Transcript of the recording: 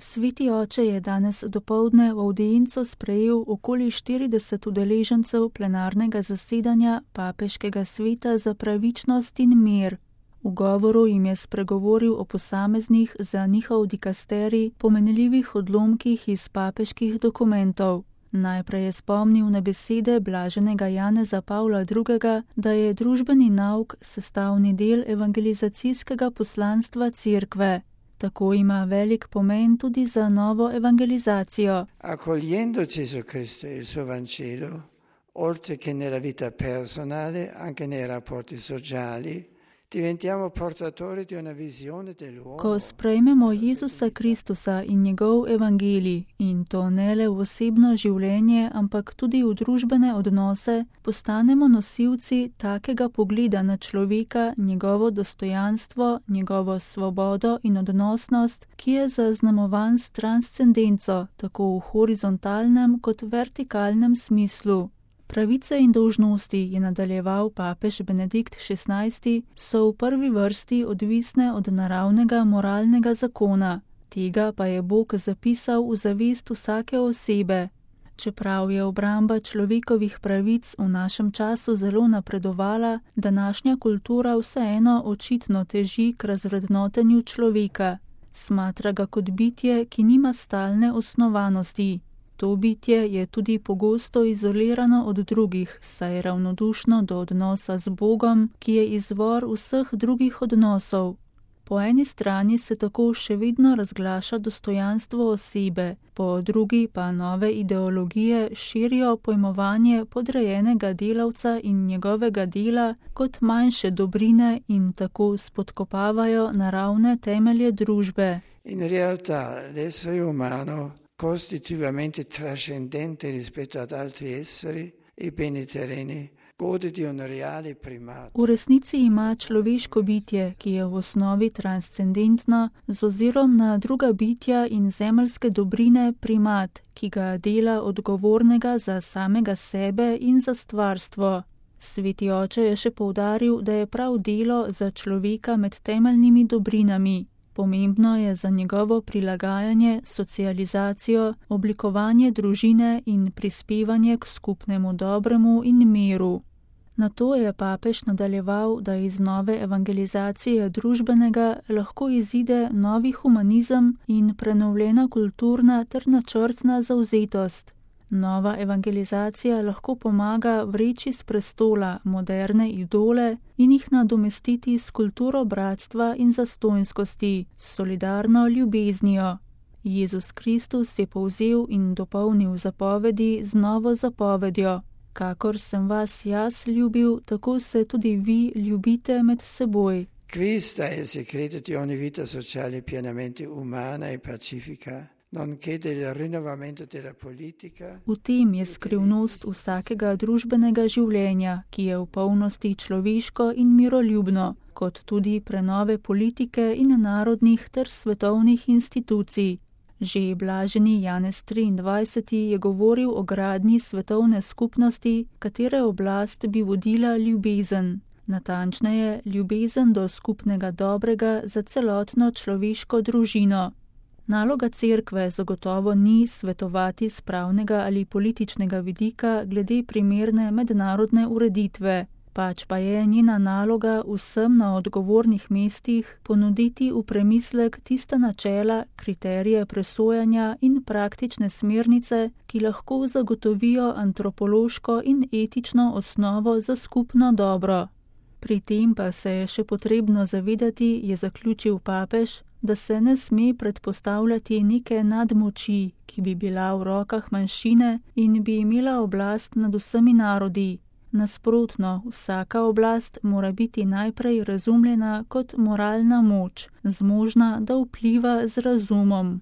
Sveti oče je danes dopoldne v avdienco sprejel okoli 40 udeležencev plenarnega zasedanja Papeškega sveta za pravičnost in mir. V govoru jim je spregovoril o posameznih za njihov dikasterij pomenljivih odlomkih iz papeških dokumentov. Najprej je spomnil na besede blaženega Janeza Pavla II., da je družbeni nauk sestavni del evangelizacijskega poslanstva Cerkve. Tako ima velik pomen tudi za novo evangelizacijo. Accogliendo Gesù Cristo e il suo Vangelo, oltre che nella vita personale, anche nei rapporti sociali, diventiamo portatori di una visione dell'uomo. Ko sprejmemo Jezusa Kristusa in njegov evangelij, in to ne le v osebno življenje, ampak tudi v družbene odnose, postanemo nosilci takega pogleda na človeka, njegovo dostojanstvo, njegovo svobodo in odnosnost, ki je zaznamovan s transcendenco, tako v horizontalnem kot vertikalnem smislu. Pravice in dolžnosti, je nadaljeval papež Benedikt XVI, so v prvi vrsti odvisne od naravnega moralnega zakona. Tega pa je Bog zapisal v zavest vsake osebe. Čeprav je obramba človekovih pravic v našem času zelo napredovala, današnja kultura vseeno očitno teži k razvrednotenju človeka. Smatra ga kot bitje, ki nima stalne osnovanosti. To bitje je tudi pogosto izolirano od drugih, saj je ravnodušno do odnosa z Bogom, ki je izvor vseh drugih odnosov. Po eni strani se tako še vedno razglaša dostojanstvo osebe, po drugi pa nove ideologije širijo pojmovanje podrejenega delavca in njegovega dela kot manjše dobrine in tako spodkopavajo naravne temelje družbe. In realtà l'essere umano costitutivamente trascendente rispetto ad altri esseri e beni terreni, gode di un reale primato. V resnici ima človeško bitje, ki je v osnovi transcendentno, z ozirom na druga bitja in zemeljske dobrine primat, ki ga dela odgovornega za samega sebe in za stvarstvo. Sveti oče je še poudaril, da je prav delo za človeka med temeljnimi dobrinami. Pomembno je za njegovo prilagajanje, socializacijo, oblikovanje družine in prispevanje k skupnemu dobremu in miru. Nato je papež nadaljeval, da iz nove evangelizacije družbenega lahko izide novi humanizem in prenovljena kulturna ter načrtna zavzetost. Nova evangelizacija lahko pomaga vreči s prestola moderne idole in jih nadomestiti s kulturo bratstva in zastonjskosti, s solidarno ljubeznijo. Jezus Kristus je povzel in dopolnil zapovedi z novo zapovedjo. Kakor sem vas jaz ljubil, tako se tudi vi ljubite med seboj. Questo è il segreto di ogni vita sociale pienamente umana e pacifica. V tem je skrivnost vsakega družbenega življenja, ki je v polnosti človeško in miroljubno, kot tudi prenove politike in narodnih ter svetovnih institucij. Že blaženi Janez XXIII. Je govoril o gradnji svetovne skupnosti, katere oblast bi vodila ljubezen. Natančneje, ljubezen do skupnega dobrega za celotno človeško družino. Naloga Cerkve zagotovo ni svetovati z pravnega ali političnega vidika glede primerne mednarodne ureditve, pač pa je njena naloga vsem na odgovornih mestih ponuditi v premislek tista načela, kriterije presojanja in praktične smernice, ki lahko zagotovijo antropološko in etično osnovo za skupno dobro. Pri tem pa se je še potrebno zavedati, je zaključil papež, da se ne sme predpostavljati neke nadmoči, ki bi bila v rokah manjšine in bi imela oblast nad vsemi narodi. Nasprotno, vsaka oblast mora biti najprej razumljena kot moralna moč, zmožna, da vpliva z razumom.